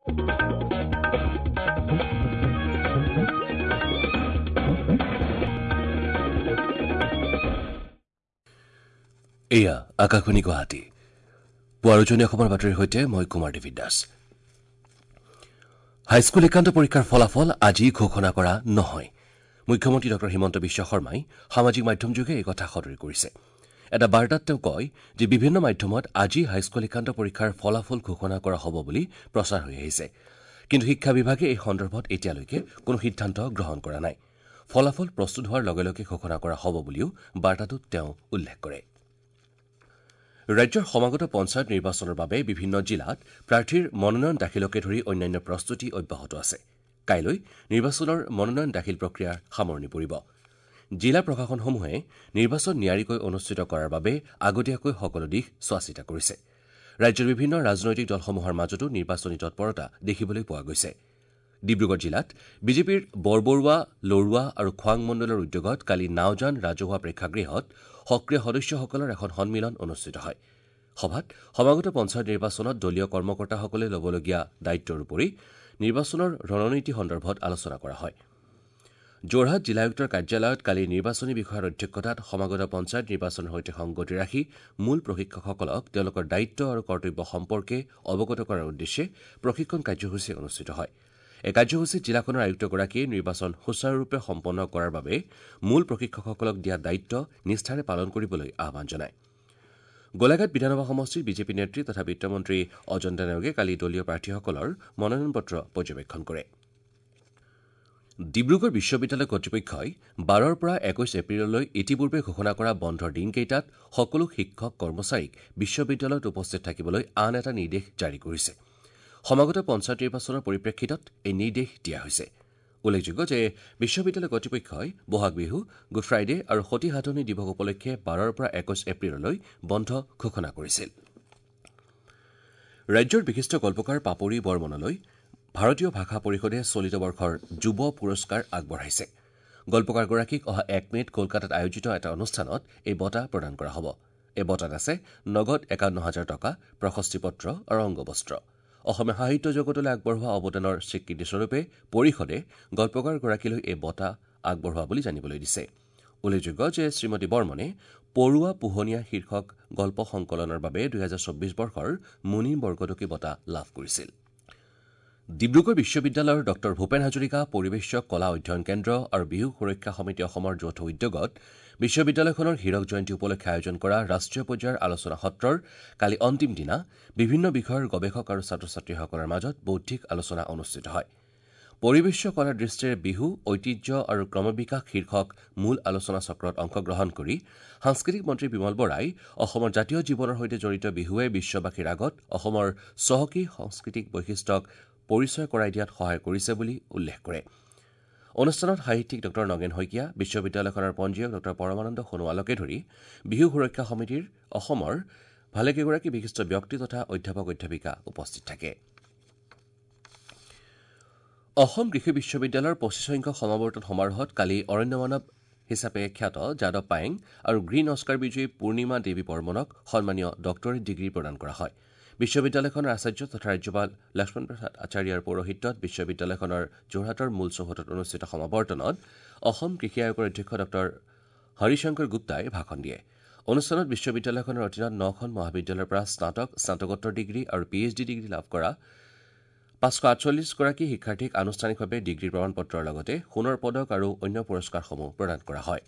এয়া আকাশবাণী গুৱাহাটী। পুৱাৰ উজনি অসমৰ বাতৰিৰ সৈতে মই কুমাৰ দেৱী দাস। হাইস্কুল শিক্ষান্ত পৰীক্ষাৰ ফলাফল আজি ঘোষণা কৰা নহয়। মুখ্যমন্ত্ৰী ডঃ হিমন্ত বিশ্ব শৰ্মাই সামাজিক মাধ্যমযোগে এই কথা সদৰি কৰিছে। এটা বাৰ্তাত তেওঁ কয় যে বিভিন্ন মাধ্যমত আজি হাইস্কুল শিক্ষান্ত পৰীক্ষাৰ ফলাফল ঘোষণা কৰা হ'ব বুলি প্ৰচাৰ হৈ আহিছে। কিন্তু শিক্ষা বিভাগে এই সন্দৰ্ভত এতিয়ালৈকে কোনো সিদ্ধান্ত গ্ৰহণ কৰা নাই। ফলাফল প্ৰস্তুত হোৱাৰ লগে লগে ঘোষণা কৰা হ'ব বুলিও বাৰ্তাটোত তেওঁ উল্লেখ কৰে। ৰাজ্যৰ সমাগত পঞ্চায়ত নিৰ্বাচনৰ বাবে বিভিন্ন জিলাত প্ৰাৰ্থীৰ মনোনয়ন দাখিলকে ধৰি অন্যান্য প্ৰস্তুতি অব্যাহত আছে। কাইলৈ নিৰ্বাচনৰ মনোনয়ন দাখিল প্ৰক্ৰিয়াৰ সামৰণি পৰিব। জিলা প্ৰশাসনসমূহে নিৰ্বাচন নিয়াৰিকৈ অনুষ্ঠিত কৰাৰ বাবে আগতীয়াকৈ সকলো দিশ চোৱাচিতা কৰিছে। ৰাজ্যৰ বিভিন্ন ৰাজনৈতিক দলসমূহৰ মাজতো নিৰ্বাচনী তৎপৰতা দেখিবলৈ পোৱা গৈছে। ডিব্ৰুগড় জিলাত বিজেপিৰ বৰবৰুৱা, লৰুৱা আৰু খোৱাং মণ্ডলৰ উদ্যোগত কালি নাওজান ৰাজহুৱা প্ৰেক্ষাগৃহত সক্ৰিয় সদস্যসকলৰ এখন সন্মিলন অনুষ্ঠিত হয়। সভাত সমাগত পঞ্চায়ত নিৰ্বাচনত দলীয় কৰ্মকৰ্তাসকলে ল'বলগীয়া দায়িত্বৰ উপৰি নিৰ্বাচনৰ ৰণনীতি সন্দৰ্ভত আলোচনা কৰা হয়। যোৰহাট জিলা আয়ুক্তৰ কাৰ্যালয়ত কালি নিৰ্বাচনী বিষয়াৰ অধ্যক্ষতাত সমাগত পঞ্চায়ত নিৰ্বাচনৰ সৈতে সংগতি ৰাখি মূল প্ৰশিক্ষকসকলক তেওঁলোকৰ দায়িত্ব আৰু কৰ্তব্য সম্পৰ্কে অৱগত কৰাৰ উদ্দেশ্যে প্ৰশিক্ষণ কাৰ্যসূচী অনুষ্ঠিত হয়। এই কাৰ্যসূচীত জিলাখনৰ আয়ুক্তগৰাকীয়ে নিৰ্বাচন সুচাৰুৰূপে সম্পন্ন কৰাৰ বাবে মূল প্ৰশিক্ষকসকলক দিয়া দায়িত্ব নিষ্ঠাৰে পালন কৰিবলৈ আহ্বান জনায়। গোলাঘাট বিধানসভা সমষ্টিৰ বিজেপি নেত্ৰী তথা বিত্তমন্ত্ৰী অজন্তা নেওগে কালি দলীয় প্ৰাৰ্থীসকলৰ মনোনয়ন পত্ৰ পৰ্যবেক্ষণ কৰে। ডিব্ৰুগড় বিশ্ববিদ্যালয় কৰ্তৃপক্ষই ১২ৰ পৰা ২১ এপ্ৰিললৈ ইতিপূৰ্বে ঘোষণা কৰা বন্ধৰ দিনকেইটাত সকলো শিক্ষক কৰ্মচাৰীক বিশ্ববিদ্যালয়ত উপস্থিত থাকিবলৈ আন এটা নিৰ্দেশ জাৰি কৰিছে। সমাগত পঞ্চায়ত নিৰ্বাচনৰ পৰিপ্ৰেক্ষিতত এই নিৰ্দেশ দিয়া হৈছে। উল্লেখযোগ্য যে বিশ্ববিদ্যালয় কৰ্তৃপক্ষই বহাগ বিহু, গুড ফ্ৰাইডে আৰু সতী সাধনী দিৱস উপলক্ষে ১২ৰ পৰা ২১ এপ্ৰিললৈ বন্ধ ঘোষণা কৰিছিল। ৰাজ্যৰ বিশিষ্ট গল্পকাৰ পাপৰি বৰ্মনলৈ ভাৰতীয় ভাষা পৰিষদে চলিত বৰ্ষৰ যুৱ পুৰস্কাৰ আগবঢ়াইছে। গল্পকাৰগৰাকীক অহা ১ মে'ত কলকাতাত আয়োজিত এটা অনুষ্ঠানত এই বঁটা প্ৰদান কৰা হ'ব। এই বঁটাত আছে নগদ ৫১,০০০ টকা, প্ৰশস্তি পত্ৰ আৰু অংগবস্ত্ৰ। অসমীয়া সাহিত্য জগতলৈ আগবঢ়োৱা অৱদানৰ স্বীকৃতিস্বৰূপে পৰিষদে গল্পকাৰগৰাকীলৈ এই বঁটা আগবঢ়োৱা বুলি জানিবলৈ দিছে। উল্লেখযোগ্য যে শ্ৰীমতী বৰ্মনে পৰুৱা পোহনীয়া শীৰ্ষক গল্প সংকলনৰ বাবে ২০২৪ বৰ্ষৰ মুনীন বৰকটকী বঁটা লাভ কৰিছিল। ডিব্ৰুগড় বিশ্ববিদ্যালয়ৰ ডঃ ভূপেন হাজৰিকা পৰিৱেশ্য কলা অধ্যয়ন কেন্দ্ৰ আৰু বিহু সুৰক্ষা সমিতি অসমৰ যৌথ উদ্যোগত বিশ্ববিদ্যালয়খনৰ হীৰক জয়ন্তী উপলক্ষে আয়োজন কৰা ৰাষ্ট্ৰীয় পৰ্যায়ৰ আলোচনা সত্ৰৰ কালি অন্তিম দিনা বিভিন্ন বিষয়ৰ গৱেষক আৰু ছাত্ৰ ছাত্ৰীসকলৰ মাজত বৌদ্ধিক আলোচনা অনুষ্ঠিত হয়। পৰিৱেশ্য কলাৰ দৃষ্টিৰে বিহু ঐতিহ্য আৰু ক্ৰমবিকাশ শীৰ্ষক মূল আলোচনা চক্ৰত অংশগ্ৰহণ কৰি সাংস্কৃতিক মন্ত্ৰী বিমল বৰাই অসমৰ জাতীয় জীৱনৰ সৈতে জড়িত বিহুৱে বিশ্ববাসীৰ আগত অসমৰ চহকী সাংস্কৃতিক বৈশিষ্ট্যক পৰিচয় কৰাই দিয়াত সহায় কৰিছে বুলি উল্লেখ কৰে। অনুষ্ঠানত সাহিত্যিক ডঃ নগেন শইকীয়া, বিশ্ববিদ্যালয়খনৰ পঞ্জীয়ক ডঃ পৰমানন্দ সোণোৱালকে ধৰি বিহু সুৰক্ষা সমিতিৰ অসমৰ ভালেকেইগৰাকী বিশিষ্ট ব্যক্তি তথা অধ্যাপক অধ্যাপিকা উপস্থিত থাকে। অসম কৃষি বিশ্ববিদ্যালয়ৰ ২৫ সংখ্যক সমাৱৰ্তন সমাৰোহত কালি অৰণ্য মানৱ হিচাপে খ্যাত যাদৱ পায়েং আৰু গ্ৰীণ অস্কাৰ বিজয়ী পূৰ্ণিমা দেৱী বৰ্মনক সন্মানীয় ডক্টৰেট ডিগ্ৰী প্ৰদান কৰা হয়। বিশ্ববিদ্যালয়খনৰ আচাৰ্য তথা ৰাজ্যপাল লক্ষ্মণ প্ৰসাদ আচাৰ্যৰ পৌৰোহিত্যত বিশ্ববিদ্যালয়খনৰ যোৰহাটৰ মূল চৌহদত অনুষ্ঠিত সমাৱৰ্তনত অসম কৃষি আয়োগৰ অধ্যক্ষ ডঃ হৰিশংকৰ গুপ্তাই ভাষণ দিয়ে। অনুষ্ঠানত বিশ্ববিদ্যালয়খনৰ অধীনত ৯খন মহাবিদ্যালয়ৰ পৰা স্নাতক, স্নাতকোত্তৰ ডিগ্ৰী আৰু পি এইচ ডি ডিগ্ৰী লাভ কৰা ৫৪৮ গৰাকী শিক্ষাৰ্থীক আনুষ্ঠানিকভাৱে ডিগ্ৰী প্ৰমাণপত্ৰৰ লগতে সোণৰ পদক আৰু অন্য পুৰস্কাৰসমূহ প্ৰদান কৰা হয়।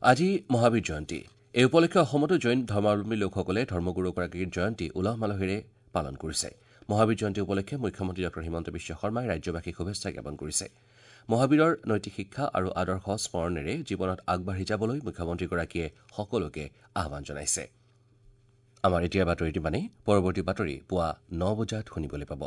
আজি মহাবীৰ জয়ন্তী। এই উপলক্ষে অসমতো জৈন ধৰ্মাৱলম্বী লোকসকলে ধৰ্মগুৰুগৰাকীৰ জয়ন্তী উলহ মালহেৰে পালন কৰিছে। মহাবীৰ জয়ন্তী উপলক্ষে মুখ্যমন্ত্ৰী ডঃ হিমন্ত বিশ্ব শৰ্মাই ৰাজ্যবাসীক শুভেচ্ছা জ্ঞাপন কৰিছে। মহাবীৰৰ নৈতিক শিক্ষা আৰু আদৰ্শ স্মৰণেৰে জীৱনত আগবাঢ়ি যাবলৈ মুখ্যমন্ত্ৰীগৰাকীয়ে সকলোকে আহ্বান জনাইছে। আমাৰ এতিয়াৰ বাতৰিটো মানে পৰৱৰ্তী বাতৰি পুৱা ৯ বজাত শুনিবলৈ পাব।